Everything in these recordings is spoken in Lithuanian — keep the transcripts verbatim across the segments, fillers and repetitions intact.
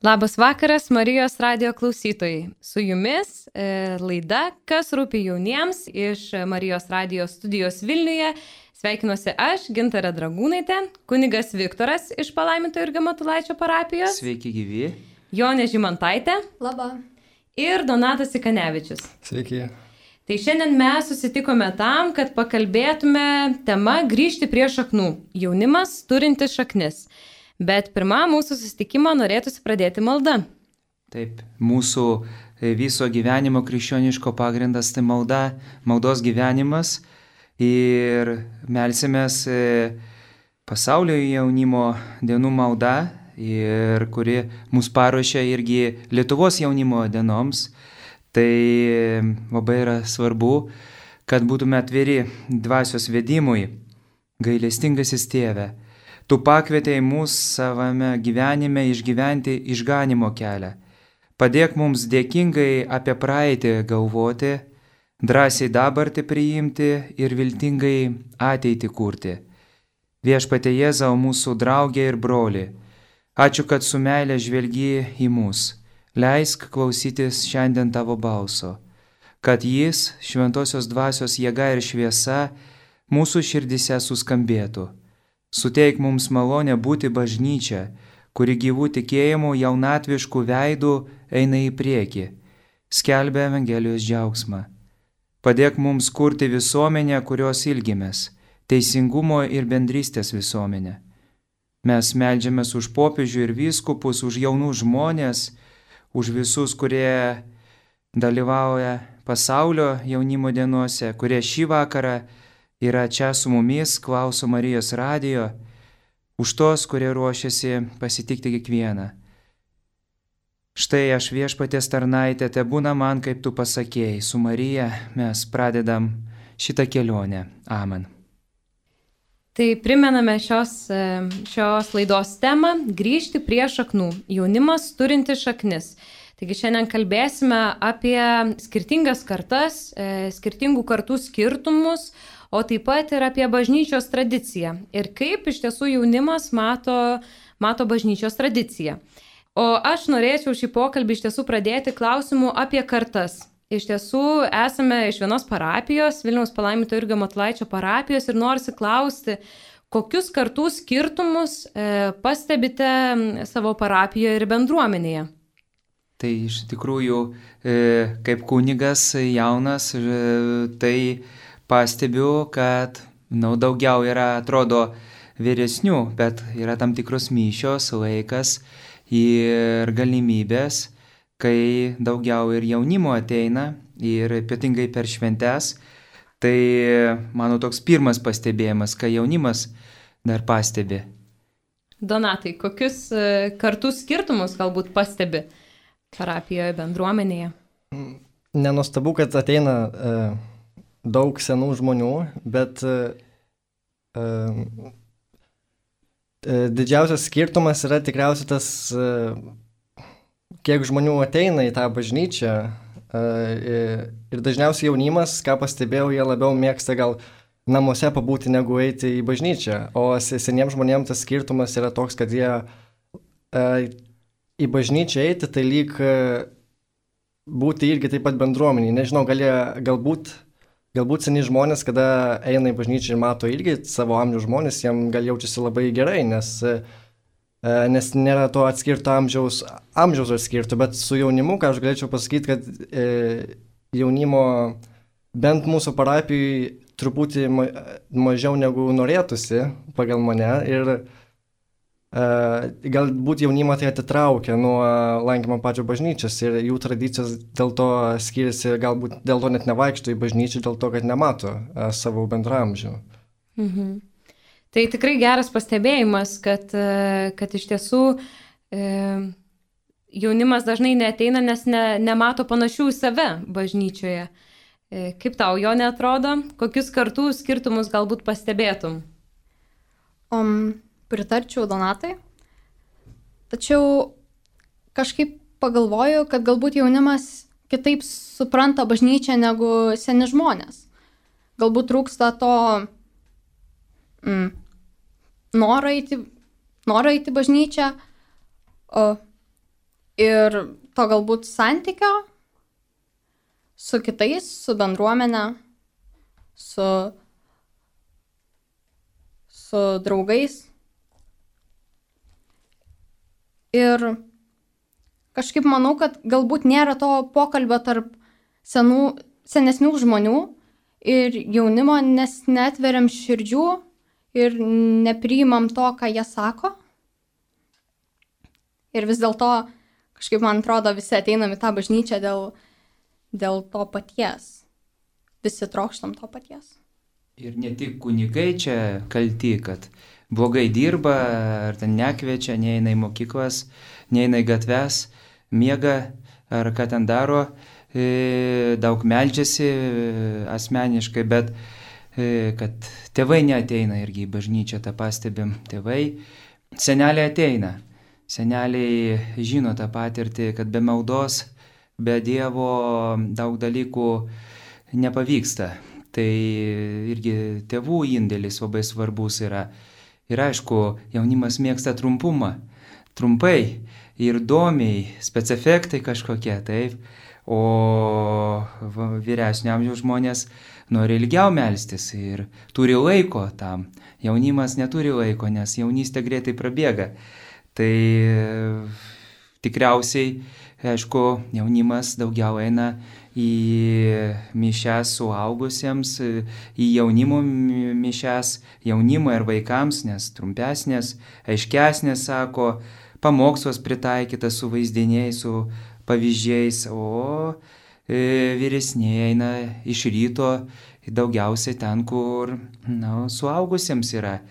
Labas vakaras, Marijos radijo klausytojai. Su jumis e, laida Kas rūpi jauniems iš Marijos radijo studijos Vilniuje. Sveikinuosi aš, Gintarė Dragūnaitė, kunigas Viktoras iš Palaimintojo Jurgio Matulaičio parapijos. Sveiki gyvi. Jonė Žimantaitė. Labą. Ir Donatas Ikanevičius. Sveiki. Tai šiandien mes susitikome tam, kad pakalbėtume tema grįžti prie šaknų. Jaunimas turintis šaknis. Bet pirmą mūsų susitikimą norėtųsi pradėti malda. Taip, mūsų viso gyvenimo krikščioniško pagrindas tai malda, maldos gyvenimas ir melsimės pasaulio jaunimo dienų malda, ir kuri mus paruošia irgi Lietuvos jaunimo dienoms. Tai labai yra svarbu, kad būtume atviri dvasios vedimui, gailestingasis Tėve. Tu pakvietei mus savame gyvenime išgyventi išganimo kelią. Padėk mums dėkingai apie praeitį galvoti, drąsiai dabartį priimti ir viltingai ateitį kurti. Viešpatie Jėzau, mūsų draugė ir broli, ačiū, kad su meile žvelgi į mus. Leisk klausytis šiandien tavo balso, kad jis, šventosios dvasios jėga ir šviesa, mūsų širdise suskambėtų. Suteik mums malonę būti bažnyčia, kuri gyvų tikėjimų jaunatviškų veidų eina į priekį, skelbia Evangelijos džiaugsmą. Padėk mums kurti visuomenę, kurios ilgimės, teisingumo ir bendrystės visuomenę. Mes meldžiamės už popiežių ir vyskupus, už jaunų žmonės, už visus, kurie dalyvauja pasaulio jaunimo dienose, kurie šį vakarą yra čia su mumis, klauso Marijos radijo, už tos, kurie ruošiasi pasitikti kiekvieną. Štai aš Viešpaties tarnaitė, te būna man, kaip tu pasakėjai, su Marija mes pradedam šitą kelionę. Amen. Tai primename šios, šios laidos temą – grįžti prie šaknų, jaunimas turinti šaknis. Taigi šiandien kalbėsime apie skirtingas kartas, skirtingų kartų skirtumus, o taip pat ir apie bažnyčios tradiciją ir kaip iš tiesų jaunimas mato, mato bažnyčios tradiciją. O aš norėčiau šį pokalbį iš tiesų pradėti klausimu apie kartas. Iš tiesų esame iš vienos parapijos, Vilniaus Palaimintojo Jurgio Matulaičio parapijos ir norisi klausti, kokius kartų skirtumus e, pastebite savo parapijoje ir bendruomenėje. Tai iš tikrųjų, e, kaip kunigas jaunas, e, tai pastebiu, kad nu, daugiau yra, atrodo, vyresnių, bet yra tam tikros mišios, laikas ir galimybės, kai daugiau ir jaunimo ateina ir ypatingai per šventes. Tai mano toks pirmas pastebėjimas, kai jaunimas dar pastebi. Donatai, kokius kartų skirtumus galbūt pastebi parapijoje, bendruomenėje? Nenuostabu, kad ateina e, daug senų žmonių, bet e, e, didžiausias skirtumas yra tikriausiai tas, e, kiek žmonių ateina į tą bažnyčią. E, ir dažniausiai jaunimas, ką pastebėjau, jie labiau mėgsta gal namuose pabūti negu eiti į bažnyčią. O seniems žmonėms tas skirtumas yra toks, kad jie e, į bažnyčią eiti, tai lyg e, būti irgi taip pat bendruomeniai. Nežinau, gal jie, galbūt Galbūt seni žmonės, kada eina į bažnyčią ir mato irgi savo amžiaus žmonės, jiem gal jaučiasi labai gerai, nes, nes nėra to atskirto amžiaus, amžiaus atskirto, bet su jaunimu, ką aš galėčiau pasakyti, kad e, jaunimo bent mūsų parapijai truputį ma, mažiau negu norėtųsi pagal mane ir Uh, galbūt jaunimą tai atitraukia nuo lankymo pačio bažnyčios ir jų tradicijos dėl to skiriasi, galbūt dėl to net nevaikšto į bažnyčią, dėl to, kad nemato uh, savo bendramžių. Mhm. Tai tikrai geras pastebėjimas, kad, uh, kad iš tiesų uh, jaunimas dažnai neateina, nes ne, nemato panašių į save bažnyčioje. Uh, kaip tau jo neatrodo? Kokius kartų skirtumus galbūt pastebėtum? Um. Pritarčiau Donatai, tačiau kažkaip pagalvoju, kad galbūt jaunimas kitaip supranta bažnyčią negu seni žmonės. Galbūt trūksta to mm, norą eiti, norą eiti bažnyčią, o ir to galbūt santykio su kitais, su bendruomenė, su, su draugais. Ir kažkaip manau, kad galbūt nėra to pokalbio tarp senų, senesnių žmonių ir jaunimo, nes neatveriam širdžių ir nepriimam to, ką jie sako. Ir vis dėlto, kažkaip man atrodo, visi ateinam į tą bažnyčią dėl, dėl to paties. Visi trokštam to paties. Ir ne tik kunigai čia kalti, kad blogai dirba, ar ten nekviečia, neina į mokyklas, neina į gatves, miega, ar ką ten daro, daug meldžiasi asmeniškai, bet kad tėvai neateina irgi į bažnyčią, tą pastebim. Tėvai, seneliai ateina. Seneliai žino tą patirtį, kad be maldos, be Dievo daug dalykų nepavyksta. Tai irgi tėvų indėlis labai svarbus yra. Ir aišku, jaunimas mėgsta trumpumą. Trumpai ir įdomiai, specifektai kažkokie, taip. O vyresnio amžiaus žmonės nori ilgiau melstis ir turi laiko tam. Jaunimas neturi laiko, nes jaunystė greitai prabėga. Tai tikriausiai, aišku, jaunimas daugiau eina į mišias suaugusiems, į jaunimo mišias, jaunimo ir vaikams, nes trumpesnės, aiškesnės, sako, pamokslas pritaikytas su vaizdiniais, su pavyzdžiais, o e, vyresniai eina iš ryto daugiausiai ten, kur na, suaugusiems yra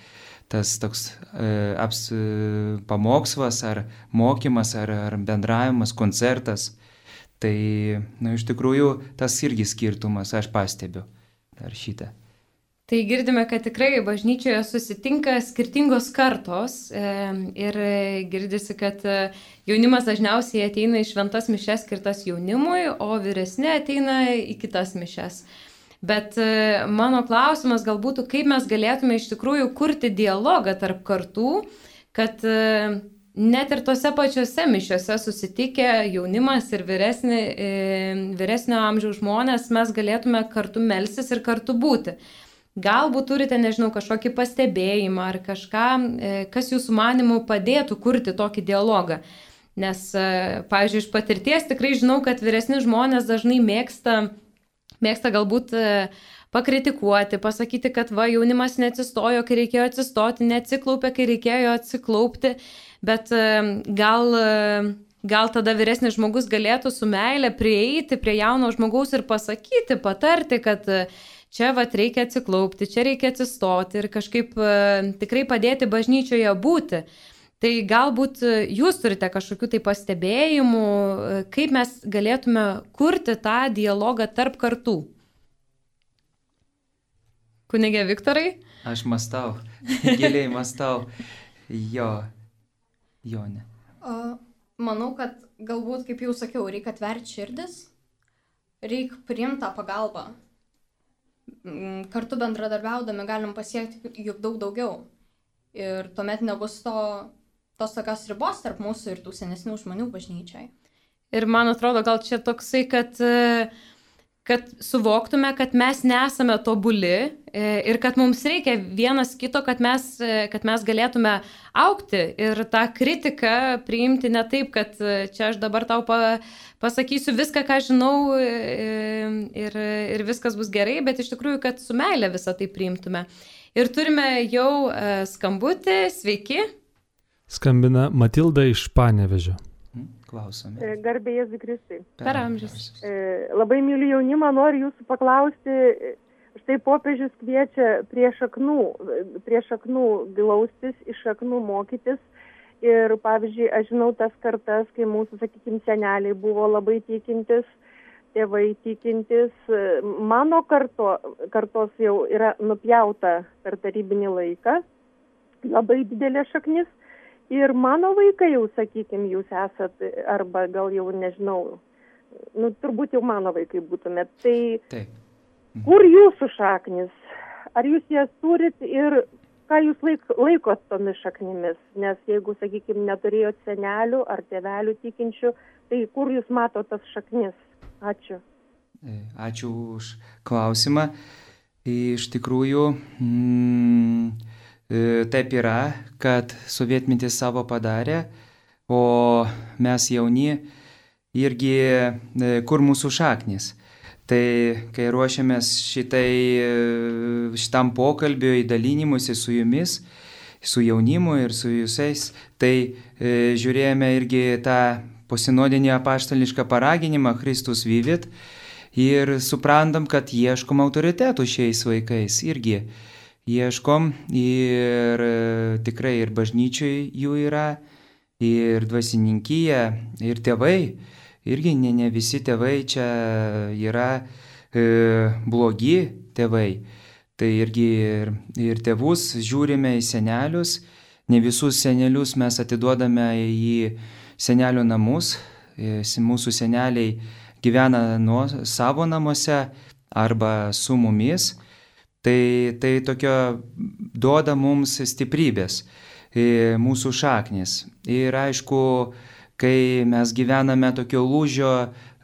tas toks e, aps, e, pamokslas ar mokymas ar, ar bendravimas, koncertas. Tai na, iš tikrųjų tas irgi skirtumas, aš pastebiu dar šitą. Tai girdime, kad tikrai bažnyčioje susitinka skirtingos kartos e, ir girdisi, kad jaunimas dažniausiai ateina į šventas mišias skirtas jaunimui, o vyresni ateina į kitas mišias. Bet e, mano klausimas gal būtų, kaip mes galėtume iš tikrųjų kurti dialogą tarp kartų, kad e, net ir tose pačiose mišiose susitikę jaunimas ir vyresni, e, vyresnio amžiaus žmonės mes galėtume kartu melstis ir kartu būti. Galbūt turite, nežinau, kažkokį pastebėjimą ar kažką, kas jūsų manimų padėtų kurti tokį dialogą. Nes, pavyzdžiui, iš patirties tikrai žinau, kad vyresni žmonės dažnai mėgsta, mėgsta galbūt pakritikuoti, pasakyti, kad va, jaunimas neatsistojo, kai reikėjo atsistoti, neatsiklaupė, kai reikėjo atsiklaupti, bet gal, gal tada vyresnis žmogus galėtų su meile prieiti prie jauno žmogaus ir pasakyti, patarti, kad čia vat reikia atsiklaupti, čia reikia atsistoti ir kažkaip e, tikrai padėti bažnyčioje būti. Tai galbūt jūs turite kažkokių tai pastebėjimų, kaip mes galėtume kurti tą dialogą tarp kartų. Kunigė Viktorai? Aš mąstau, giliai mąstau. Jo, jo ne. O, manau, kad galbūt, kaip jau sakiau, reikia atverti širdis, reikia priimti tą pagalbą. Kartu bendradarbiaudami galim pasiekti juk daug daugiau. Ir tuomet nebus to, tos tokios ribos tarp mūsų ir tų senesnių žmonių bažnyčiai. Ir man atrodo, gal čia toksai, kad, kad suvoktume, kad mes nesame tobuli ir kad mums reikia vienas kito, kad mes, kad mes galėtume augti ir tą kritiką priimti ne taip, kad čia aš dabar tau pa, pasakysiu viską, ką žinau ir, ir viskas bus gerai, bet iš tikrųjų, kad su meile visą tai priimtume. Ir turime jau skambutį, sveiki. Skambina Matilda iš Panevėžio. Klausome. Garbė Jėzui Kristui. Per amžius. Labai myliu jaunimą, noriu jūsų paklausti, štai popiežius kviečia prie šaknų, prie šaknų glaustis, iš šaknų mokytis. Ir pavyzdžiui, aš žinau tas kartas, kai mūsų, sakykime, seneliai buvo labai tikintis, tėvai tikintis. Mano karto, kartos jau yra nupjauta per tarybinį laiką, labai didelė šaknis. Ir mano vaikai jau, sakykime, jūs esat, arba gal jau nežinau, nu, turbūt jau mano vaikai būtumėt. Tai Taip. Kur jūsų šaknis? Ar jūs jas turit ir ką jūs laik, laikot tomis šaknimis, nes jeigu, sakykime, neturėjot senelių ar tėvelių tikinčių, tai kur jūs matot tas šaknis? Ačiū. Ačiū už klausimą. Iš tikrųjų, mm, taip yra, kad sovietmetis savo padarė, o mes jauni irgi kur mūsų šaknis. Tai kai ruošiamės šitai, šitam pokalbiui, dalinimusi su jumis, su jaunimu ir su jūsais, tai e, žiūrėjome irgi tą posinodinį apaštališką paraginimą Kristus vivit ir suprantam, kad ieškom autoritetų šiais vaikais irgi. Ieškom ir e, tikrai ir bažnyčiai jų yra, ir dvasininkyje, ir tėvai. Irgi ne, ne visi tėvai čia yra e, blogi tėvai. Tai irgi ir, ir tėvus žiūrime į senelius. Ne visus senelius mes atiduodame į senelių namus. E, mūsų seneliai gyvena nuo savo namuose arba su mumis. Tai, tai tokio duoda mums stiprybės, e, mūsų šaknis. Ir aišku, kai mes gyvename tokio lūžio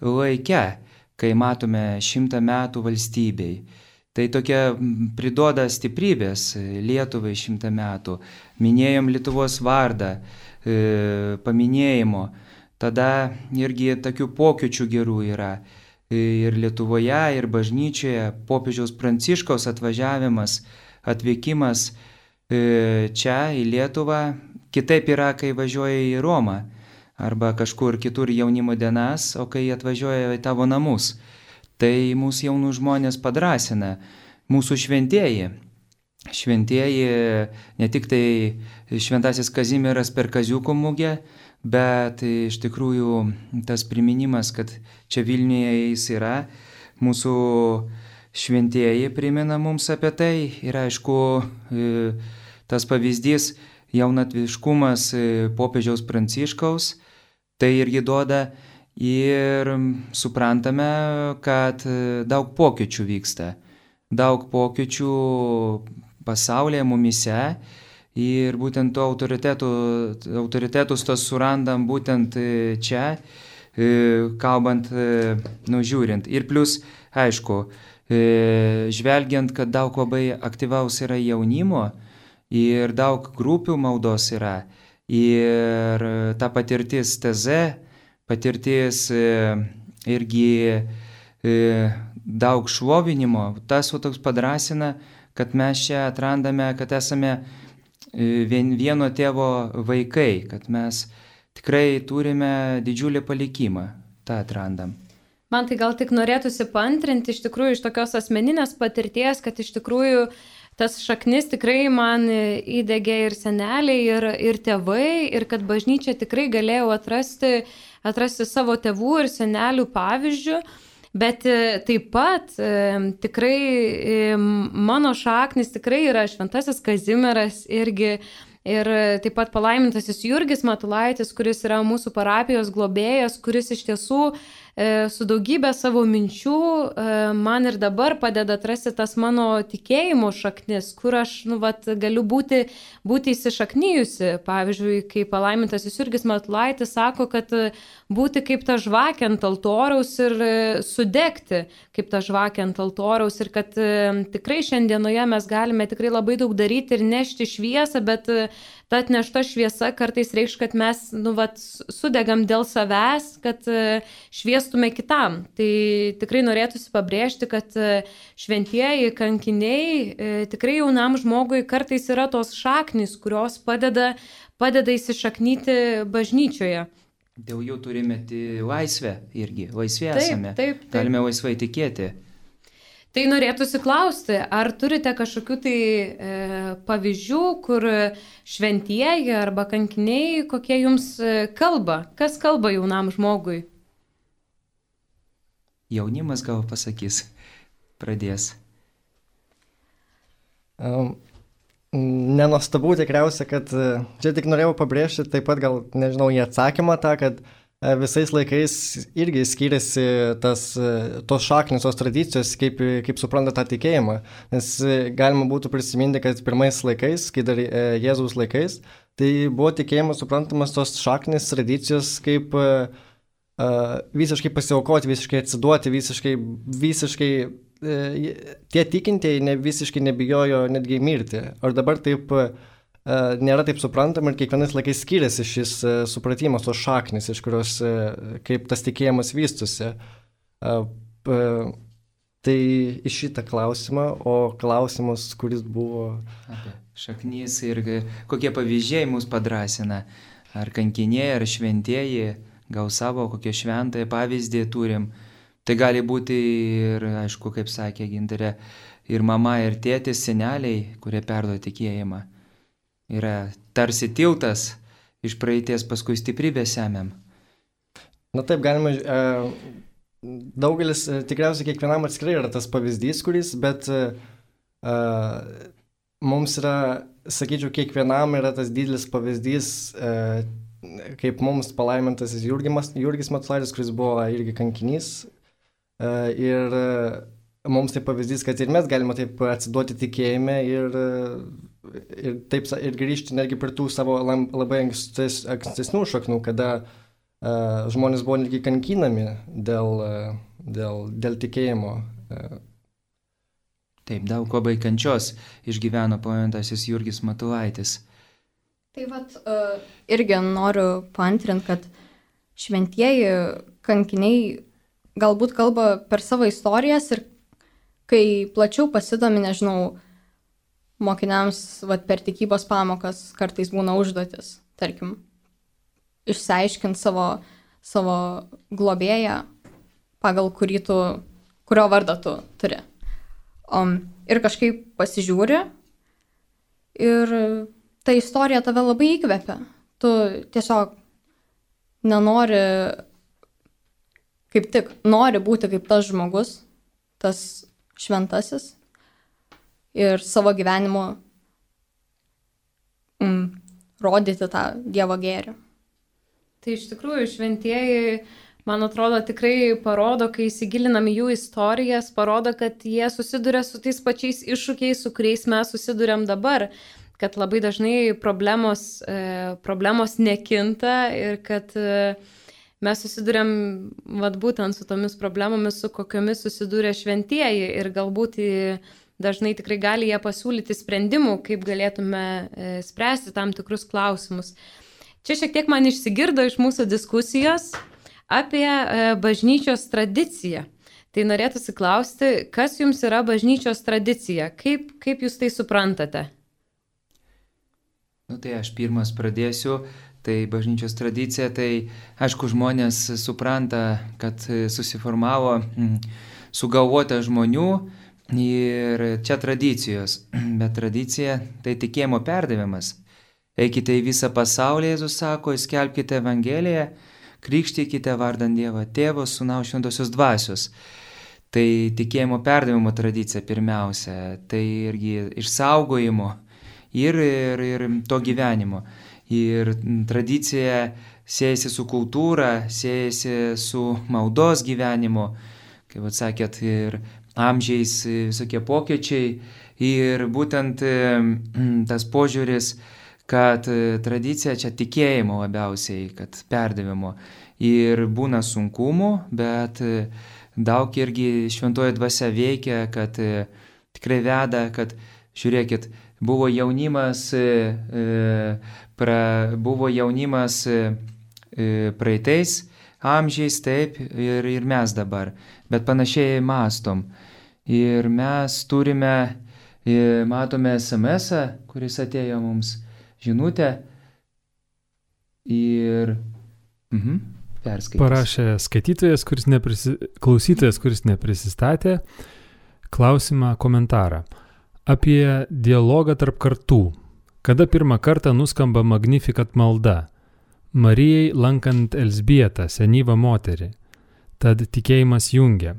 laike, kai matome šimtą metų valstybei, tai tokia priduoda stiprybės Lietuvai šimtą metų. Minėjom Lietuvos vardą, e, paminėjimo, tada irgi tokių pokyčių gerų yra. Ir Lietuvoje, ir bažnyčioje popiežiaus Pranciškaus atvažiavimas, atvykimas e, čia į Lietuvą, kitaip yra, kai važiuoja į Romą. Arba kažkur kitur jaunimo dienas, o kai atvažiuoja į tavo namus. Tai mūsų jaunų žmonės padrasina, mūsų šventieji. Šventieji, ne tik tai šventasis Kazimieras per Kaziuko mugę, bet iš tikrųjų tas priminimas, kad čia Vilniuje jis yra, mūsų šventieji primena mums apie tai. Ir aišku, tas pavyzdys, jaunatviškumas popiežiaus Pranciškaus, tai irgi duoda ir suprantame, kad daug pokyčių vyksta. Daug pokyčių pasaulyje, mumise ir būtent to autoritetų, autoritetus tos surandam būtent čia, kalbant, nužiūrint. Ir plus, aišku, žvelgiant, kad daug labai aktyvaus yra jaunimo ir daug grupių maldos yra. Ir ta patirtis teze, patirtis irgi daug šlovinimo, tas toks padrasina, kad mes čia atrandame, kad esame vieno tėvo vaikai, kad mes tikrai turime didžiulį palikimą, tą atrandam. Man tai gal tik norėtųsi paantrinti iš tikrųjų iš tokios asmeninės patirties, kad iš tikrųjų tas šaknis tikrai man įdegė ir seneliai, ir, ir tėvai, ir kad bažnyčia tikrai galėjau atrasti, atrasti savo tėvų ir senelių pavyzdžių, bet taip pat tikrai mano šaknis tikrai yra šventasis Kazimieras irgi, ir taip pat palaimintasis Jurgis Matulaitis, kuris yra mūsų parapijos globėjas, kuris iš tiesų su daugybė savo minčių man ir dabar padeda atrasti tas mano tikėjimo šaknis, kur aš nu, vat, galiu būti, būti įsišaknyjusi. Pavyzdžiui, kai palaimintasis Jurgis Matulaitis sako, kad būti kaip ta žvakė ant altoriaus ir sudegti kaip ta žvakė ant altoriaus ir kad tikrai šiandienoje mes galime tikrai labai daug daryti ir nešti šviesą, bet ta atnešta šviesa kartais reikš, kad mes nu, vat, sudegam dėl savęs, kad šviestume kitam. Tai tikrai norėtųsi pabrėžti, kad šventieji kankiniai tikrai jaunam žmogui kartais yra tos šaknys, kurios padeda, padeda įsišaknyti bažnyčioje. Dėl jų turime laisvę irgi, laisvė taip, esame, taip, taip. Galime laisvai tikėti. Tai norėtųsi klausti, ar turite kažkokių tai e, pavyzdžių, kur šventieji arba kankiniai, kokie jums kalba? Kas kalba jaunam žmogui? Jaunimas gal pasakys, pradės. Um, Nenuostabu tikriausia, kad čia tik norėjau pabrėžti taip pat gal, nežinau, į atsakymą tą, kad visais laikais irgi skiriasi tas, tos šaknis, tos tradicijos, kaip, kaip supranta tą tikėjimą. Nes galima būtų prisiminti, kad pirmais laikais, kai dar Jėzaus laikais, tai buvo tikėjimas suprantamas tos šaknis, tradicijos kaip uh, visiškai pasiaukoti, visiškai atsiduoti, visiškai, visiškai uh, tie tikintieji ne, visiškai nebijojo netgi mirti. Ar dabar taip uh, nėra taip suprantama ir kiekvienais laikais skiriasi šis uh, supratimas, tos šaknis, iš kurios uh, kaip tas tikėjimas vystusi. Uh, uh, tai iš šitą klausimą, o klausimas, kuris buvo... Apie šaknis ir kokie pavyzdžiai mus padrasina. Ar kankiniai, ar šventieji, gal savo kokią šventąją pavyzdį turim. Tai gali būti ir, aišku, kaip sakė Gintarė, ir mama, ir tėtis, seneliai, kurie perduoda tikėjimą. Yra tarsi tiltas iš praeities, paskui stiprybę semiam. Na taip, galima, daugelis, tikriausiai kiekvienam atskirai yra tas pavyzdys, kuris, bet mums yra, sakyčiau, kiekvienam yra tas didelis pavyzdys, kaip mums palaimintasis Jurgis, Jurgis Matulaitis, kuris buvo irgi kankinys. Ir mums tai pavyzdys, kad ir mes galime taip atsiduoti tikėjime ir ir, taip, ir grįžti netgi prie tų savo labai ankstes, ankstesnių šaknų, kada uh, žmonės buvo netgi kankinami dėl, uh, dėl, dėl tikėjimo. Uh. Taip, daug labai kančios išgyveno palaimintasis Jurgis Matulaitis. Tai vat, uh, irgi noriu paantrinti, kad šventieji kankiniai galbūt kalba per savo istorijas ir kai plačiau pasidomi, nežinau, mokiniams vat, per tikybos pamokas kartais būna užduotis, tarkim, išsiaiškinti savo, savo globėją, pagal kurį tu, kurio vardą tu turi. Um, ir kažkaip pasižiūri ir ta istorija tave labai įkvepia. Tu tiesiog nenori, kaip tik, nori būti kaip tas žmogus, tas šventasis. Ir savo gyvenimu mm, rodyti tą Dievo gėrį. Tai iš tikrųjų šventieji, man atrodo, tikrai parodo, kai įsigilinam į jų istorijas, parodo, kad jie susiduria su tais pačiais iššūkiais, su kuriais mes susiduriam dabar. Kad labai dažnai problemos, e, problemos nekinta ir kad e, mes susiduriam vat, būtent su tomis problemomis, su kokiomis susidūrė šventieji ir galbūt į dažnai tikrai gali jie pasiūlyti sprendimų, kaip galėtume e, spręsti tam tikrus klausimus. Čia šiek tiek man išsigirdo iš mūsų diskusijos apie e, bažnyčios tradiciją. Tai norėtųsi klausti, kas jums yra bažnyčios tradicija? Kaip, kaip jūs tai suprantate? Nu tai aš pirmas pradėsiu. Tai bažnyčios tradicija, tai aišku žmonės supranta, kad susiformavo mm, sugalvota žmonių, ir čia tradicijos, bet tradicija tai tikėjimo perdavimas. Eikite į visą pasaulį, Jėzus sako, skelbkite Evangeliją, krikštykite vardant Dievo Tėvo, Sūnaus Šventosios Dvasios. Tai tikėjimo perdavimo tradicija pirmiausia, tai irgi išsaugojimo ir, ir, ir to gyvenimo. Ir tradicija siejasi su kultūra, siejasi su maldos gyvenimu, kaip atsakėt, ir amžiais visokie pokyčiai ir būtent tas požiūris, kad tradicija čia tikėjimo labiausiai, kad perdavimo. Ir būna sunkumų, bet daug irgi šventoji dvasia veikia, kad tikrai veda, kad žiūrėkit, buvo jaunimas, pra, buvo jaunimas praeitais amžiais, taip, ir, ir mes dabar, bet panašiai mąstom. Ir mes turime, matome es em esą, kuris atėjo mums žinutę ir mhm, perskaitys. Parašė skaitytojas, kuris neprisi... klausytojas, kuris neprisistatė, klausimą komentarą apie dialogą tarp kartų. Kada pirmą kartą nuskamba Magnificat malda? Marijai lankant Elzbietą, senyvą moterį. Tad tikėjimas jungia.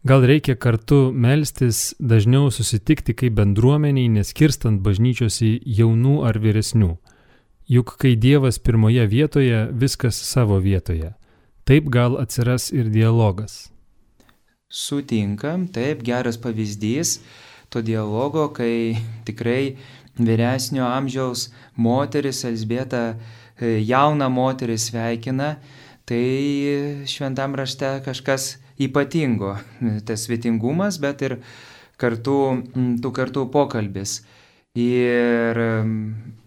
Gal reikia kartu melstis, dažniau susitikti kaip bendruomeniai, neskirstant bažnyčios į jaunų ar vyresnių. Juk kai Dievas pirmoje vietoje, viskas savo vietoje. Taip gal atsiras ir dialogas. Sutinkam, taip, geras pavyzdys to dialogo, kai tikrai vyresnio amžiaus moteris, Elzbieta, jauna moteris sveikina, tai šventam rašte kažkas ypatingo, tas svetingumas, bet ir kartu, tų kartų pokalbis. Ir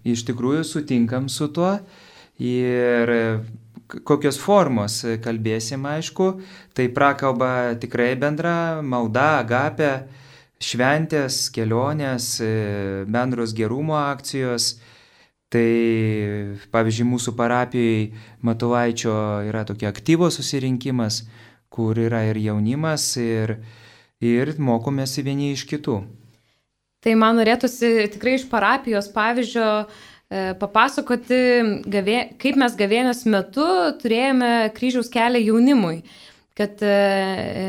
iš tikrųjų sutinkam su tuo ir kokios formos kalbėsim, aišku, tai prakalba tikrai bendra, malda, agapė, šventės, kelionės, bendros gerumo akcijos. Tai pavyzdžiui, mūsų parapijoje Matulaičio yra tokia aktyvos susirinkimas, kur yra ir jaunimas, ir, ir mokomės vieni iš kitų. Tai man norėtųsi tikrai iš parapijos pavyzdžio papasakoti, gavė, kaip mes gavėnios metu turėjome kryžiaus kelią jaunimui. Kad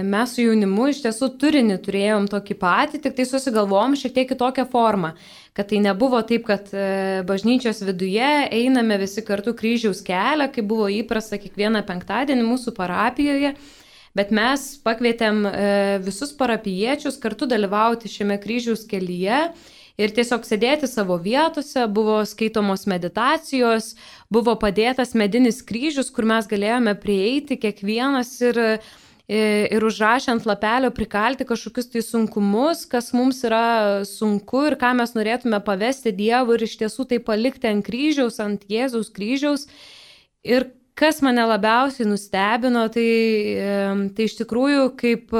mes su jaunimu iš tiesų turinį turėjom tokį patį, tik tai susigalvom šiek tiek kitokią formą. Kad tai nebuvo taip, kad bažnyčios viduje einame visi kartu kryžiaus kelią, kaip buvo įprasta kiekvieną penktadienį mūsų parapijoje, bet mes pakvietėm visus parapijiečius kartu dalyvauti šiame kryžiaus kelyje. Ir tiesiog sėdėti savo vietose, buvo skaitomos meditacijos, buvo padėtas medinis kryžius, kur mes galėjome prieiti kiekvienas ir, ir užrašę ant lapelio prikalti kažkokius tai sunkumus, kas mums yra sunku ir ką mes norėtume pavesti Dievui ir iš tiesų tai palikti ant kryžiaus, ant Jėzaus kryžiaus. Ir kas mane labiausiai nustebino, tai, tai iš tikrųjų kaip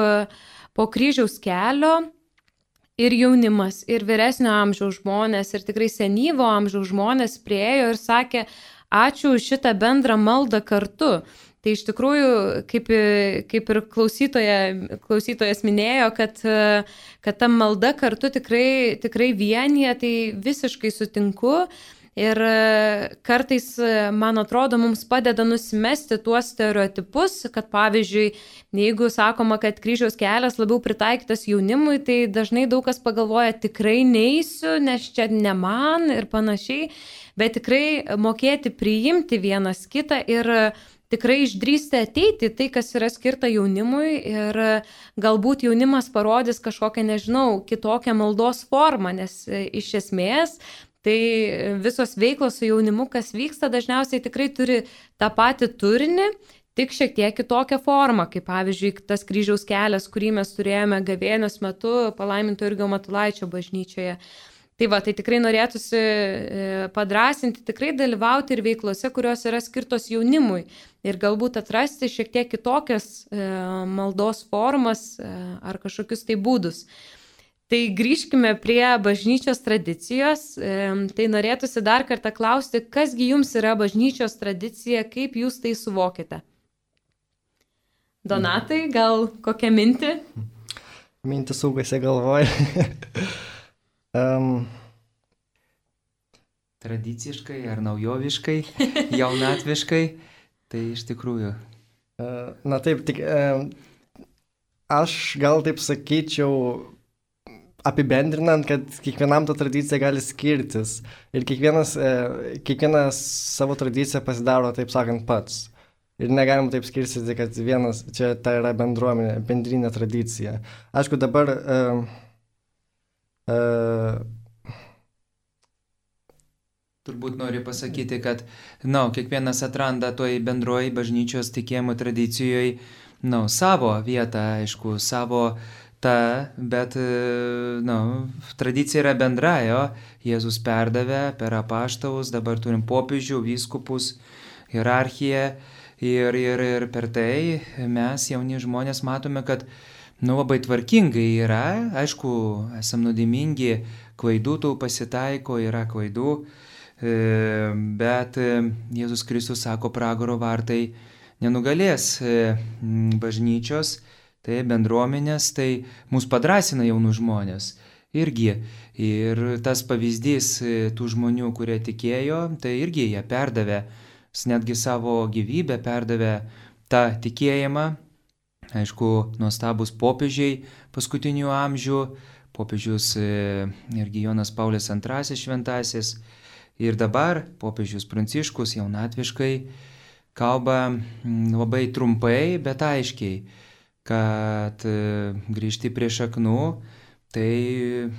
po kryžiaus kelio ir jaunimas, ir vyresnio amžiaus žmonės, ir tikrai senyvo amžiaus žmonės priėjo ir sakė, ačiū už šitą bendrą maldą kartu. Tai iš tikrųjų, kaip, kaip ir klausytoja, klausytojas minėjo, kad, kad ta malda kartu tikrai, tikrai vienyje, tai visiškai sutinku. Ir kartais, man atrodo, mums padeda nusimesti tuos stereotipus, kad pavyzdžiui, jeigu sakoma, kad kryžiaus kelias labiau pritaikytas jaunimui, tai dažnai daug kas pagalvoja, tikrai neisiu, nes čia ne man ir panašiai, bet tikrai mokėti priimti vienas kitą ir tikrai išdrįsti ateiti tai, kas yra skirta jaunimui ir galbūt jaunimas parodys kažkokią, nežinau, kitokią maldos formą, nes iš esmės tai visos veiklos su jaunimu, kas vyksta, dažniausiai tikrai turi tą patį turinį, tik šiek tiek kitokią formą, kaip pavyzdžiui tas kryžiaus kelias, kurį mes turėjome gavėnios metu palaiminto Jurgio Matulaičio bažnyčioje. Tai va, tai tikrai norėtųsi padrasinti, tikrai dalyvauti ir veiklose, kurios yra skirtos jaunimui ir galbūt atrasti šiek tiek kitokias maldos formas ar kažkokius tai būdus. Tai grįžkime prie bažnyčios tradicijos. Tai norėtųsi dar kartą klausti, kasgi jums yra bažnyčios tradicija, kaip jūs tai suvokite? Donatai, gal kokią mintį? Mintį sukasi galvoj. um. Tradiciškai ar naujoviškai, jaunatviškai, tai iš tikrųjų. Uh, na taip, tik uh, aš gal taip sakyčiau, apibendrinant, kad kiekvienam ta tradicija gali skirtis ir kiekvienas, e, kiekvienas savo tradiciją pasidaro, taip sakant, pats. Ir negalima taip skirstyti, kad vienas, čia tai yra bendruomenė, bendrinė tradicija. Aišku, dabar e, e, turbūt noriu pasakyti, kad na, kiekvienas atranda toj bendroji bažnyčios tikėjimo tradicijoje na, savo vietą, aišku, savo ta, bet nu, tradicija yra bendra, jo. Jėzus perdavė per apaštalus, dabar turim popiežių, vyskupus, hierarchiją ir, ir, ir per tai mes jauni žmonės matome, kad nu, labai tvarkingai yra, aišku, esam nuodėmingi, klaidų tų pasitaiko, yra klaidų, bet Jėzus Kristus sako, pragaro vartai nenugalės bažnyčios, tai bendruomenės, tai mus padrasina jaunų žmonės irgi. Ir tas pavyzdys tų žmonių, kurie tikėjo, tai irgi jie perdavė, netgi savo gyvybę perdavė tą tikėjimą. Aišku, nuostabus popiežiai paskutinių amžių, popiežius irgi Jonas Paulius antrasis šventasis ir dabar popiežius Pranciškus jaunatviškai kalba labai trumpai, bet aiškiai, kad grįžti prie šaknų, tai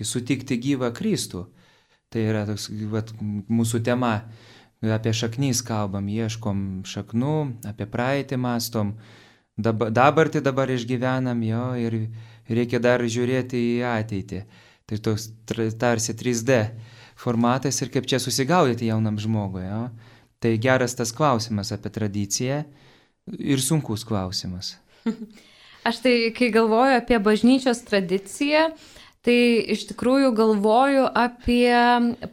sutikti gyvą Kristų. Tai yra toks, vat, mūsų tema, apie šaknys kalbam, ieškom šaknų, apie praeitį mastom, dabar, dabartį dabar išgyvenam jo ir reikia dar žiūrėti į ateitį. Tai toks tarsi trys D formatas ir kaip čia susigaudyti jaunam žmogui. Jo? Tai geras tas klausimas apie tradiciją ir sunkus klausimas. Aš tai, kai galvoju apie bažnyčios tradiciją, tai iš tikrųjų galvoju apie,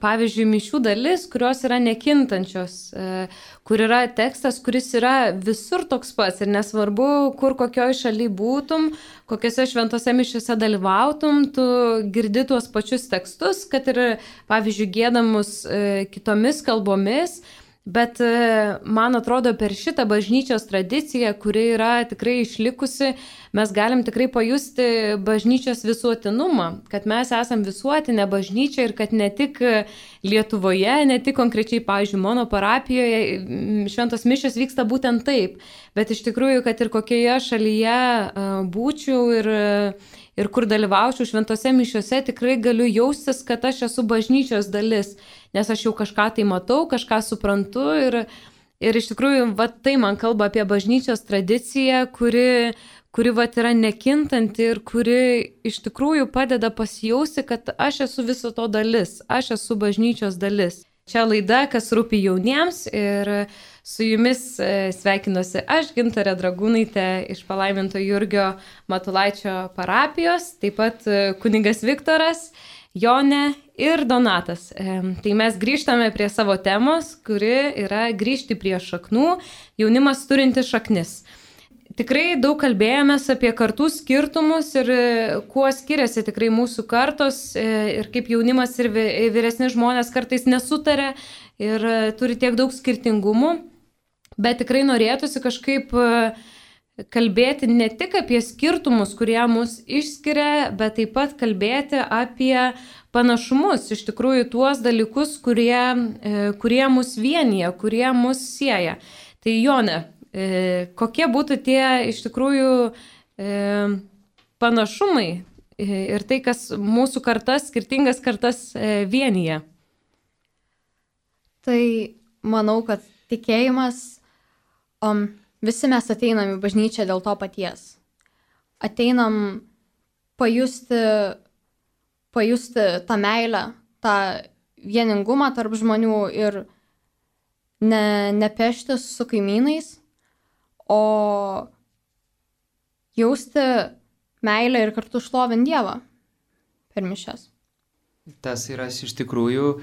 pavyzdžiui, mišių dalis, kurios yra nekintančios, kur yra tekstas, kuris yra visur toks pats ir nesvarbu, kur kokioj šaly būtum, kokiose šventose mišiuose dalyvautum, tu girdi tuos pačius tekstus, kad ir, pavyzdžiui, gėdamus kitomis kalbomis. Bet man atrodo, per šitą bažnyčios tradiciją, kuri yra tikrai išlikusi, mes galim tikrai pajusti bažnyčios visuotinumą, kad mes esam visuotinė bažnyčia ir kad ne tik Lietuvoje, ne tik konkrečiai, pavyzdžiui, mano parapijoje šventos mišios vyksta būtent taip, bet iš tikrųjų, kad ir kokioje šalyje būčiau ir, ir kur dalyvaučiau šventose mišiuose, tikrai galiu jaustis, kad aš esu bažnyčios dalis. Nes aš jau kažką tai matau, kažką suprantu ir, ir iš tikrųjų va, tai man kalba apie bažnyčios tradiciją, kuri, kuri va, yra nekintanti ir kuri iš tikrųjų padeda pasijausti, kad aš esu viso to dalis, aš esu bažnyčios dalis. Čia laida, kas rūpi jauniems ir su jumis sveikinuosi aš, Gintarė Dragūnaitė iš palaiminto Jurgio Matulaičio parapijos, taip pat kunigas Viktoras, Jonė ir Donatas. Tai mes grįžtame prie savo temos, kuri yra grįžti prie šaknų, jaunimas turinti šaknis. Tikrai daug kalbėjomės apie kartų skirtumus ir kuo skiriasi tikrai mūsų kartos ir kaip jaunimas ir vyresni žmonės kartais nesutarė ir turi tiek daug skirtingumų, bet tikrai norėtųsi kažkaip kalbėti ne tik apie skirtumus, kurie mus išskiria, bet taip pat kalbėti apie panašumus, iš tikrųjų tuos dalykus, kurie, kurie mus vienyje, kurie mus sieja. Tai Jonė, kokie būtų tie iš tikrųjų panašumai ir tai, kas mūsų kartas, skirtingas kartas vienyje? Tai manau, kad tikėjimas... Um, Visi mes ateinam į bažnyčią dėl to paties. Ateinam pajusti, pajusti tą meilę, tą vieningumą tarp žmonių ir ne, nepeštis su kaimynais, o jausti meilę ir kartu šlovinti Dievą per mišias. Tas yra iš tikrųjų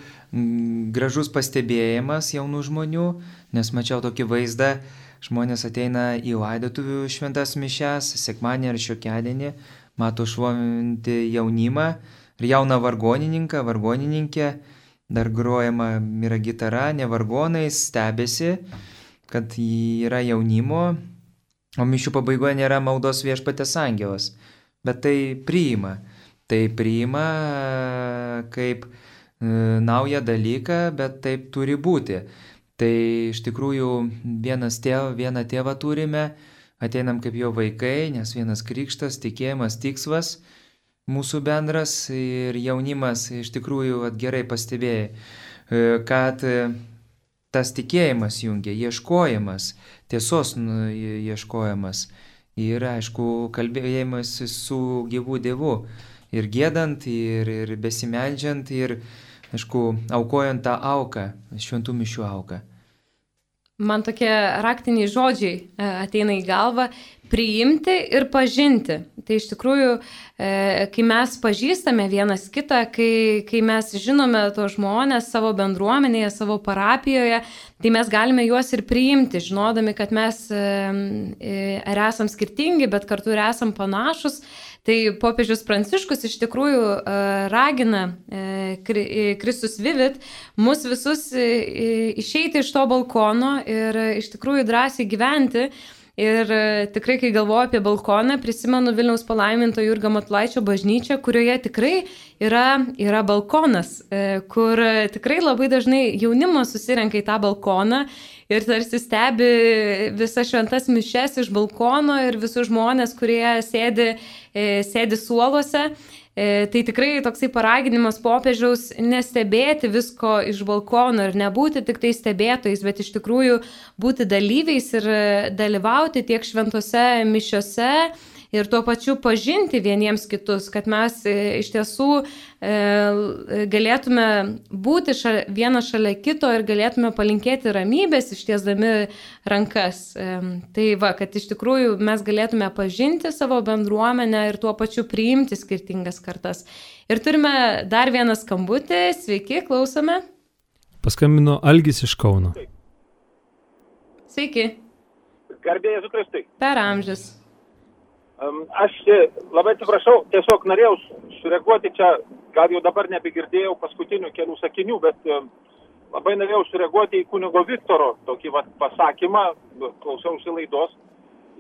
gražus pastebėjimas jaunų žmonių, nes mačiau tokį vaizdą. Žmonės ateina į laidotuvių šventas mišias, sekmadienį ar šiokiadienį, mato šlovinti jaunimą ir jauną vargonininką, vargonininkę, dar grojama yra gitara, ne vargonais, stebėsi, kad yra jaunimo, o mišių pabaigoje nėra maldos Viešpaties angelas, bet tai priima, tai priima kaip naują dalyką, bet taip turi būti. Tai iš tikrųjų vienas tėvą, vieną tėvą turime, ateinam kaip jo vaikai, nes vienas krikštas, tikėjimas, tikslas mūsų bendras ir jaunimas iš tikrųjų at, gerai pastebėjai, kad tas tikėjimas jungia, ieškojimas, tiesos ieškojimas ir aišku kalbėjimas su gyvu Dievu ir giedant, ir, ir besimeldžiant, ir aišku, aukojant tą auką, šventų mišių auką. Man tokie raktiniai žodžiai ateina į galvą - priimti ir pažinti. Tai iš tikrųjų, kai mes pažįstame vienas kitą, kai, kai mes žinome tos žmonės savo bendruomenėje, savo parapijoje, tai mes galime juos ir priimti, žinodami, kad mes ar esam skirtingi, bet kartu ir esam panašus. Tai popiežius Pranciškus iš tikrųjų ragina Kristus Vivit mus visus išeiti iš to balkono ir iš tikrųjų drąsiai gyventi Ir tikrai, kai galvoju apie balkoną, prisimenu Vilniaus palaiminto Jurgio Matulaičio bažnyčią, kurioje tikrai yra, yra balkonas, kur tikrai labai dažnai jaunimas susirenka į tą balkoną ir tarsi stebi visas šventas mišes iš balkono ir visus žmonės, kurie sėdi, sėdi suoluose. Tai tikrai toksai paraginimas popiežiaus nestebėti visko iš balkono ir nebūti tik tai stebėtojais, bet iš tikrųjų būti dalyviais ir dalyvauti tiek šventose mišiose ir tuo pačiu pažinti vieniems kitus, kad mes iš tiesų galėtume būti šalia, vienas šalia kito ir galėtume palinkėti ramybės ištiesdami rankas. Tai va, kad iš tikrųjų mes galėtume pažinti savo bendruomenę ir tuo pačiu priimti skirtingas kartas. Ir turime dar vieną skambutį. Sveiki, klausome. Paskambino Algis iš Kauno. Sveiki. Garbė Jėzui Kristui. Per amžius. Aš labai atsiprašau, tiesiog norėjau sureaguoti čia, gal jau dabar nebegirdėjau paskutinių kelių sakinių, bet labai norėjau sureaguoti į kunigo Viktoro tokį vat pasakymą, klausiausi laidos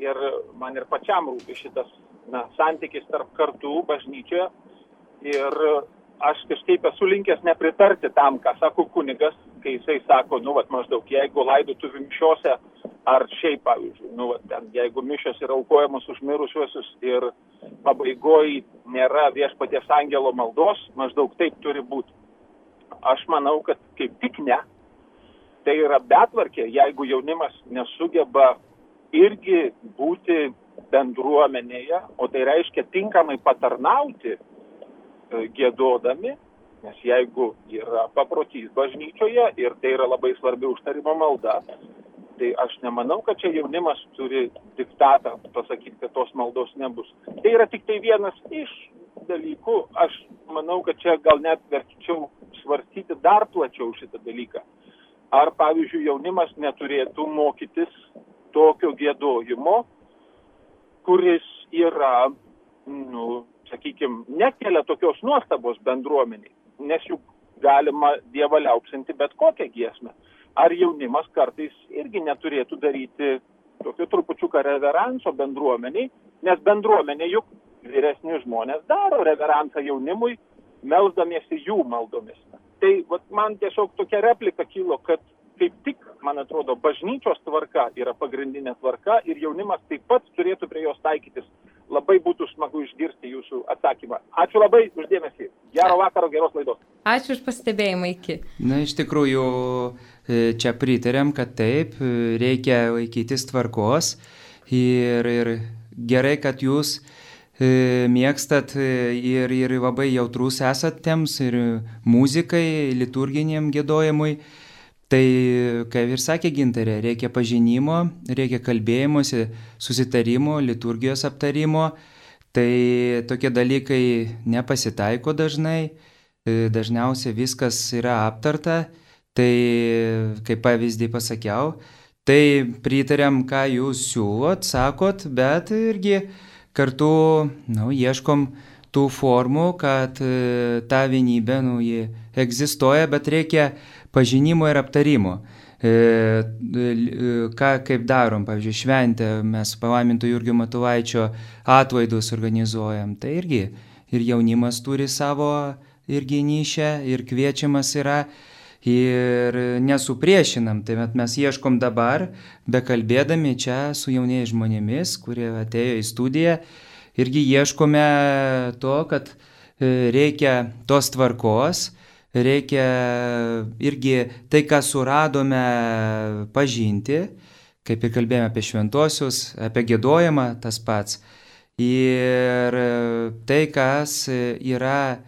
ir man ir pačiam rūpi šitas na, santykis tarp kartų bažnyčioje ir aš kažkaip esu linkęs nepritarti tam, ką sako kunigas, kai jisai sako, nu, vat maždaug, jeigu laidotuvių mišiose ar šiaip, pavyzdžiui, nu, vat, ten, jeigu mišios yra aukojamos už mirusiuosius ir pabaigoje nėra viešpaties angelo maldos, maždaug taip turi būti. Aš manau, kad kaip tik ne. Tai yra betvarkė, jeigu jaunimas nesugeba irgi būti bendruomenėje, o tai reiškia tinkamai patarnauti giedodami, nes jeigu yra paprotys bažnyčioje ir tai yra labai svarbi užtarimo malda, tai aš nemanau, kad čia jaunimas turi diktatą pasakyti, kad tos maldos nebus. Tai yra tik tai vienas iš dalykų. Aš manau, kad čia gal net verčiau svarstyti dar plačiau šitą dalyką. Ar, pavyzdžiui, jaunimas neturėtų mokytis tokio giedojimo, kuris yra, nu, sakykime, nekelia tokios nuostabos bendruomeniai, nes juk galima Dievą liaupsinti bet kokią giesmę. Ar jaunimas kartais irgi neturėtų daryti tokio trupučiuką reveranso bendruomeniai, nes bendruomenė juk vyresni žmonės daro reveransą jaunimui, melsdamiesi jų maldomis. Tai vat, man tiesiog tokia replika kilo, kad kaip tik, man atrodo, bažnyčios tvarka yra pagrindinė tvarka ir jaunimas taip pat turėtų prie jos taikytis. Labai būtų smagu išgirsti jūsų atsakymą. Ačiū labai už dėmesį. Gero vakaro, geros laidos. Ačiū už pastebėjimą, iki. Na, iš tikrųjų, čia pritarėm, kad taip, reikia laikytis tvarkos ir, ir gerai, kad jūs mėgstat ir, ir labai jautrus esat tiems ir muzikai, liturginiam giedojimui. Tai, kaip ir sakė Gintarė, reikia pažinimo, reikia kalbėjimuose, susitarimo, liturgijos aptarimo. Tai tokie dalykai nepasitaiko dažnai, dažniausiai viskas yra aptarta. Tai, kaip pavyzdį pasakiau, tai pritariam, ką jūs siūlot, sakot, bet irgi kartu, nu, ieškom tų formų, kad ta vienybė, nu, ji egzistuoja, bet reikia pažinimo ir aptarimo. E, ką kaip darom, pavyzdžiui, šventę, mes palaiminto Jurgio Matulaičio atlaidus organizuojam, tai irgi ir jaunimas turi savo irgi nišę ir kviečiamas yra ir nesupriešinam, tai mes ieškom dabar, bekalbėdami čia su jauniais žmonėmis, kurie atėjo į studiją, irgi ieškome to, kad reikia tos tvarkos, reikia irgi tai, ką suradome, pažinti, kaip ir kalbėjome apie šventuosius, apie giedojimą, tas pats. Ir tai, kas yra,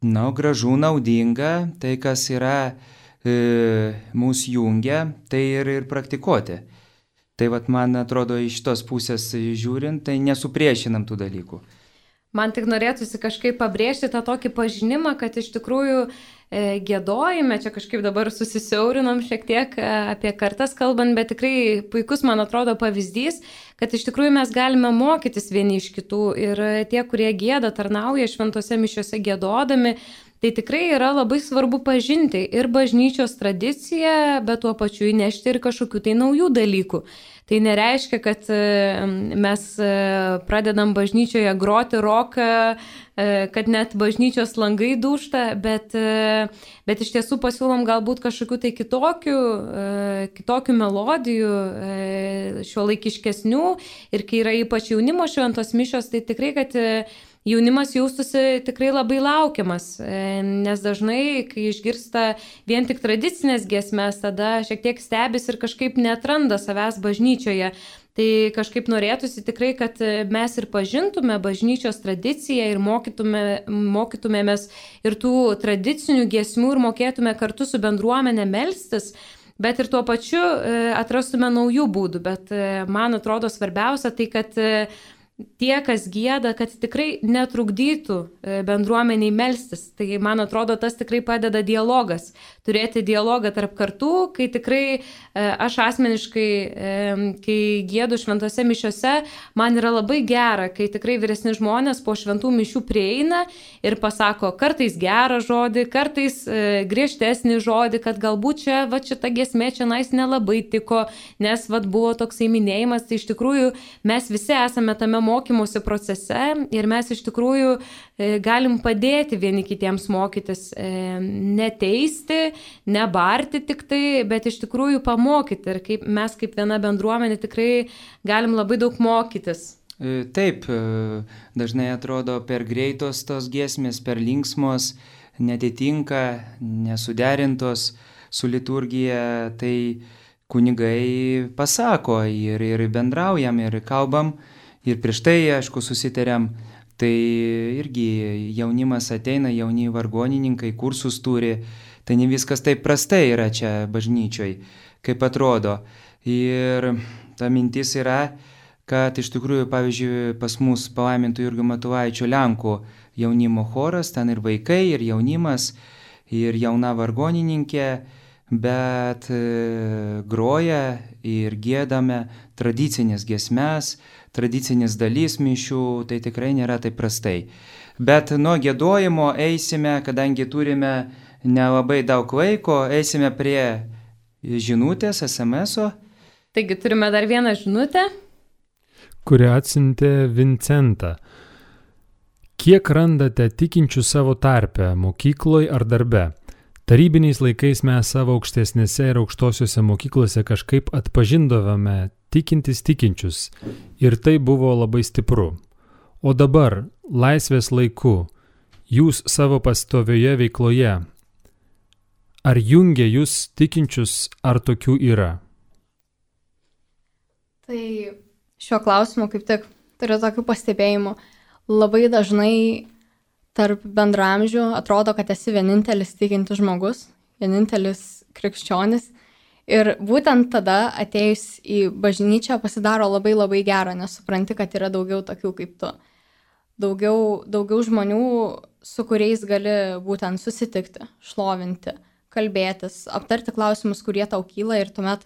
na, gražu, naudinga, tai, kas yra e, mūsų jungia, tai ir, ir praktikuoti. Tai vat, man atrodo, iš tos pusės žiūrint, tai nesupriešinam tų dalykų. Man tik norėtųsi kažkaip pabrėžti tą tokį pažinimą, kad iš tikrųjų gėdojime, čia kažkaip dabar susisiaurinom šiek tiek apie kartas kalbant, bet tikrai puikus, man atrodo, pavyzdys, kad iš tikrųjų mes galime mokytis vieni iš kitų ir tie, kurie gėda, tarnauja šventose mišiose gėdodami, tai tikrai yra labai svarbu pažinti ir bažnyčios tradiciją, bet tuo pačiu įnešti ir kažkokių tai naujų dalykų. Tai nereiškia, kad mes pradedam bažnyčioje groti roką, kad net bažnyčios langai dūžta, bet, bet iš tiesų pasiūlom galbūt kažkokių tai kitokių, kitokių melodijų, šiuolaikiškesnių ir kai yra ypač jaunimo šventos mišios, tai tikrai, kad jaunimas jaustųsi tikrai labai laukiamas, nes dažnai, kai išgirsta vien tik tradicinės giesmės, tada šiek tiek stebis ir kažkaip neatranda savęs bažnyčioje. Tai kažkaip norėtųsi tikrai, kad mes ir pažintume bažnyčios tradiciją ir mokytume, mokytumėmės ir tų tradicinių giesmių ir mokėtume kartu su bendruomenė melstis, bet ir tuo pačiu atrastume naujų būdų. Bet man atrodo svarbiausia tai, kad tie, kas gieda, kad tikrai netrukdytų bendruomeniai melstis. Tai, man atrodo, tas tikrai padeda dialogas. Turėti dialogą tarp kartų, kai tikrai aš asmeniškai, kai giedu šventose mišiose, man yra labai gera, kai tikrai vyresni žmonės po šventų mišių prieina ir pasako kartais gerą žodį, kartais griežtesnį žodį, kad galbūt čia, va, šita giesmė čia nais nelabai tiko, nes va, buvo toksai minėjimas. Tai iš tikrųjų mes visi esame tame mokymosi procese ir mes iš tikrųjų galim padėti vieni kitiems mokytis, neteisti, nebarti tik tai, bet iš tikrųjų pamokyti. Ir kaip mes kaip viena bendruomenė tikrai galim labai daug mokytis. Taip, dažnai atrodo per greitos tos giesmės, per linksmos, netitinka, nesuderintos su liturgija, tai kunigai pasako ir, ir bendraujam, ir kalbam. Ir prieš tai, aišku, susitarėm, tai irgi jaunimas ateina, jauni vargonininkai, kursus turi, tai ne viskas taip prastai yra čia bažnyčioj, kaip atrodo. Ir ta mintis yra, kad iš tikrųjų, pavyzdžiui, pas mus palaimintų Jurgio Matulaičio Lenkų jaunimo choras, ten ir vaikai, ir jaunimas, ir jauna vargonininkė, bet groja ir giedame tradicinės giesmes, tradicinis dalys mišių, tai tikrai nėra taip prastai. Bet nuo giedojimo eisime, kadangi turime nelabai daug laiko, eisime prie žinutės, es em eso. Taigi turime dar vieną žinutę, kurią atsiuntė Vincenta. Kiek randate tikinčių savo tarpe, mokykloje ar darbe? Tarybiniais laikais mes savo aukštesnėse ir aukštosiuose mokyklose kažkaip atpažindavome tikintis tikinčius ir tai buvo labai stipru. O dabar, laisvės laiku, jūs savo pastovioje veikloje, ar jungia jūs tikinčius, ar tokių yra? Tai šiuo klausimu kaip tik turiu tokių pastebėjimų. Labai dažnai tarp bendraamžių atrodo, kad esi vienintelis tikintis žmogus, vienintelis krikščionis. Ir būtent tada atėjus į bažnyčią pasidaro labai labai gera, nes supranti, kad yra daugiau tokių kaip tu. Daugiau, daugiau žmonių, su kuriais gali būtent susitikti, šlovinti, kalbėtis, aptarti klausimus, kurie tau kyla ir tuomet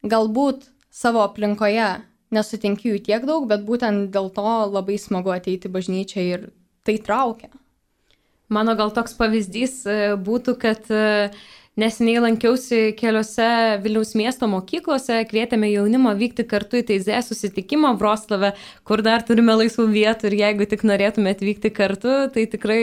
galbūt savo aplinkoje nesutinki jų tiek daug, bet būtent dėl to labai smagu ateiti į bažnyčią ir tai traukia. Mano gal toks pavyzdys būtų, kad neseniai lankiausi keliose Vilniaus miesto mokyklose, kvietėme jaunimą vykti kartu į Teizė susitikimą Vroclave, kur dar turime laisvų vietų ir jeigu tik norėtume atvykti kartu, tai tikrai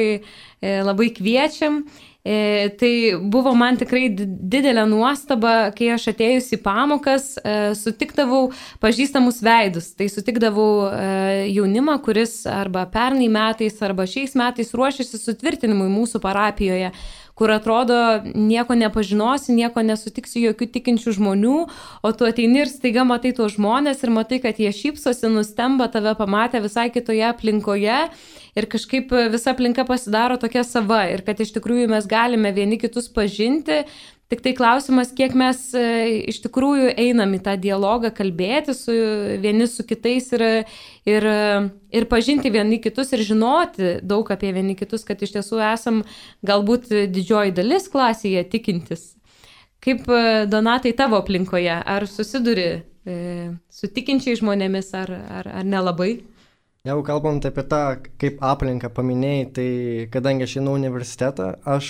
labai kviečiam. E, tai buvo man tikrai didelė nuostaba, kai aš atėjus į pamokas e, sutikdavau pažįstamus veidus. Tai sutikdavau e, jaunimą, kuris arba pernai metais, arba šiais metais ruošiasi sutvirtinimui mūsų parapijoje, kur atrodo nieko nepažinosi, nieko nesutiksi jokių tikinčių žmonių, o tu ateini ir staiga matai tuos žmonės ir matai, kad jie šypsosi, nustemba tave pamatę visai kitoje aplinkoje ir kažkaip visa aplinka pasidaro tokia sava ir kad iš tikrųjų mes galime vieni kitus pažinti, Tik tai klausimas, kiek mes iš tikrųjų einam į tą dialogą, kalbėti su vieni su kitais ir, ir, ir pažinti vieni kitus ir žinoti daug apie vieni kitus, kad iš tiesų esam galbūt didžioji dalis klasėje tikintis. Kaip, Donatai, tavo aplinkoje? Ar susiduri e, su tikinčiai žmonėmis, ar, ar, ar nelabai? Jeigu kalbant apie tą, kaip aplinką paminėjai, tai kadangi aš einu universitetą, aš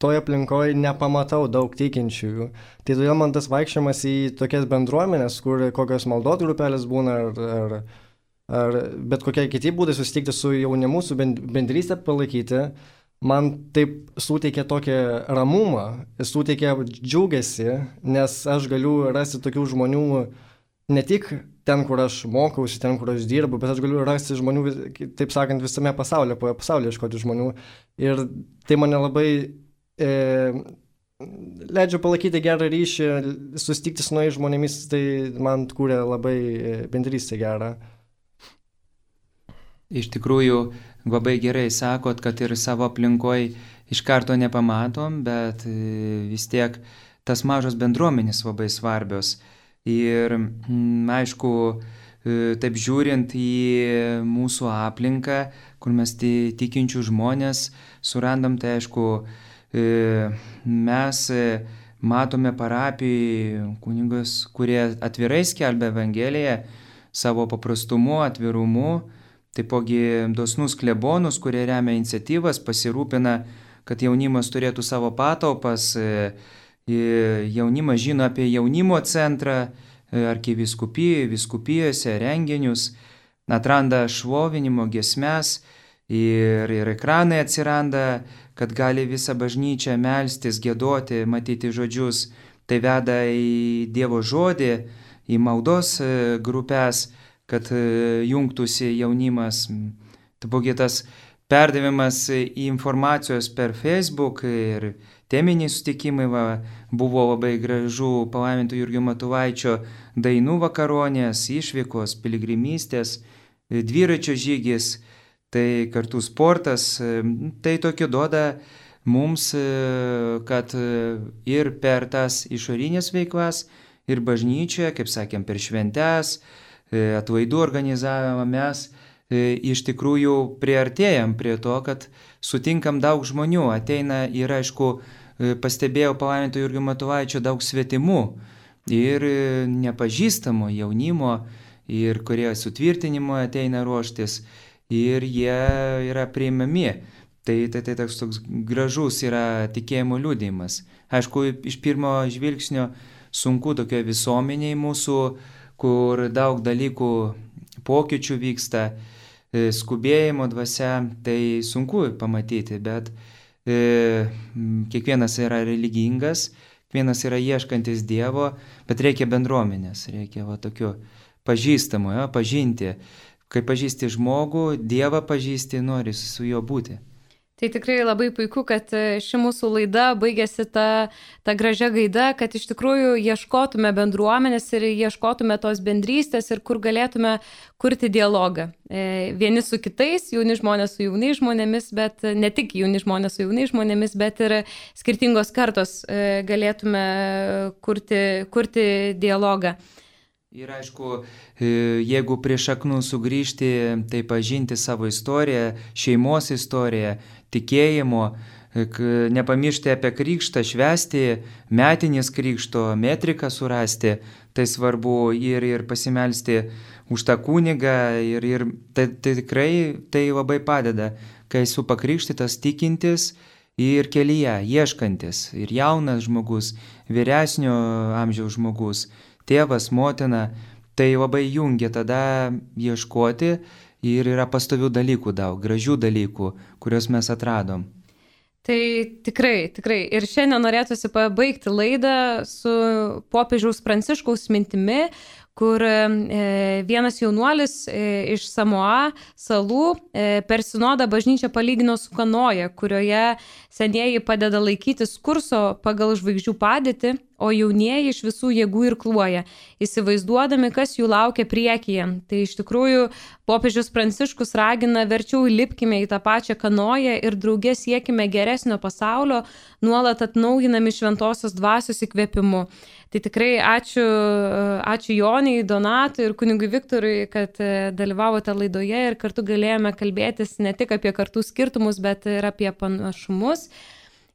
toje aplinkoje nepamatau daug tikinčiųjų. Tai todėl man tas vaikščiojimas į tokias bendruomenės, kur kokios maldos grupelės būna, ar, ar, ar bet kokie kiti būdai susitikti su jaunimu, su bendrystę palaikyti, man taip suteikia tokį ramumą, suteikia džiaugesį, nes aš galiu rasti tokių žmonių ne tik ten, kur aš mokausi, ten, kur aš dirbu, bet aš galiu rasti žmonių, taip sakant, visame pasaulyje, po pasaulyje iškoti žmonių. Ir tai mane labai e, leidžia palaikyti gerą ryšį, susitikti su naujais žmonėmis, tai man kūrė labai bendrystę gerą. Iš tikrųjų, labai gerai sakot, kad ir savo aplinkoj iš karto nepamatom, bet vis tiek tas mažos bendruomenės labai svarbios. Ir aišku, taip žiūrint į mūsų aplinką, kur mes tikinčių žmonės surandam, tai aišku, mes matome parapijai kunigus, kurie atvirai skelbia Evangeliją savo paprastumu, atvirumu, taipogi dosnus klebonus, kurie remia iniciatyvas, pasirūpina, kad jaunimas turėtų savo patalpas. Jaunimas žino apie jaunimo centrą, arkivyskupijai, vyskupijose, renginius, atranda šlovinimo giesmes ir, ir ekranai atsiranda, kad gali visą bažnyčią melstis, giedoti, matyti žodžius. Tai veda į Dievo žodį, į maldos grupės, kad jungtųsi jaunimas. Taipogi tas perdavimas informacijos per Facebook ir teminiai sutikimai, va, buvo labai gražu palaiminto Jurgio Matulaičio dainų vakaronės, išvykos, piligrimystės, dviračio žygis, tai kartu sportas. Tai tokio duoda mums, kad ir per tas išorinės veiklas, ir bažnyčioje, kaip sakėm, per šventes, atlaidų organizavimą mes iš tikrųjų priartėjam prie to, kad sutinkam daug žmonių. Ateina ir, aišku, pastebėjau palaiminto Jurgio Matulaičio daug svetimų ir nepažįstamų jaunimo, ir kurie sutvirtinimo ateina ruoštis, ir jie yra priimami. Tai, tai, tai toks, toks gražus yra tikėjimo liudijimas. Aišku, iš pirmo žvilgsnio sunku tokioje visuomenėje mūsų, kur daug dalykų pokyčių vyksta, skubėjimo dvasia, tai sunku pamatyti, bet e, kiekvienas yra religingas, kiekvienas yra ieškantis Dievo, bet reikia bendruomenės, reikia va tokio pažįstamo, jo, pažinti. Kai pažįsti žmogų, Dievą pažįsti, nori su juo būti. Tai tikrai labai puiku, kad ši mūsų laida baigėsi ta, ta gražia gaida, kad iš tikrųjų ieškotume bendruomenės ir ieškotume tos bendrystės ir kur galėtume kurti dialogą. E, vieni su kitais, jauni žmonės su jaunais žmonėmis, bet ne tik jauni žmonės su jaunais žmonėmis, bet ir skirtingos kartos e, galėtume kurti, kurti dialogą. Ir aišku, jeigu prie šaknų sugrįžti, tai pažinti savo istoriją, šeimos istoriją, tikėjimo, nepamiršti apie krikštą, švęsti, metinės krikšto, metriką surasti, tai svarbu ir, ir pasimelsti už tą kunigą ir, ir tai, tai tikrai tai labai padeda, kai esu pakrikštytas tikintis ir kelyje, ieškantis, ir jaunas žmogus, vyresnio amžiaus žmogus, tėvas, motina, tai labai jungia tada ieškoti ir yra pastovių dalykų daug, gražių dalykų, kuriuos mes atradom. Tai tikrai, tikrai. Ir šiandien norėtųsi pabaigti laidą su popiežiaus Pranciškaus mintimi, kur e, vienas jaunuolis e, iš Samoa salų e, per sinodą bažnyčią palygino su kanoja, kurioje senieji padeda laikytis kurso pagal žvaigždžių padėtį, o jaunieji iš visų jėgų irkluoja, įsivaizduodami, kas jų laukia priekyje. Tai iš tikrųjų popiežius Pranciškus ragina verčiau lipkime į tą pačią kanoją ir drauge siekime geresnio pasaulio, nuolat atnaujinami šventosios dvasios įkvėpimu. Tai tikrai ačiū, ačiū Joniai, Donatui ir kunigui Viktorui, kad dalyvavote laidoje ir kartu galėjome kalbėtis ne tik apie kartų skirtumus, bet ir apie panašumus.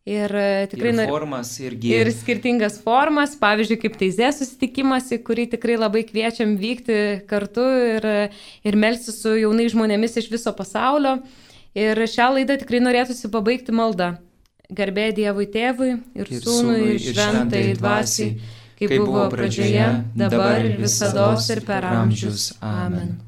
Ir tikrai ir formas, irgi. Ir skirtingas formas, pavyzdžiui, kaip teizė susitikimas, į kurį tikrai labai kviečiam vykti kartu ir, ir melstis su jaunais žmonėmis iš viso pasaulio. Ir šią laidą tikrai norėtųsi pabaigti maldą. Garbė Dievui Tėvui ir, ir Sūnui ir Šventai Dvasiai, kaip buvo pradžioje, dabar ir visados ir per amžius. Amen.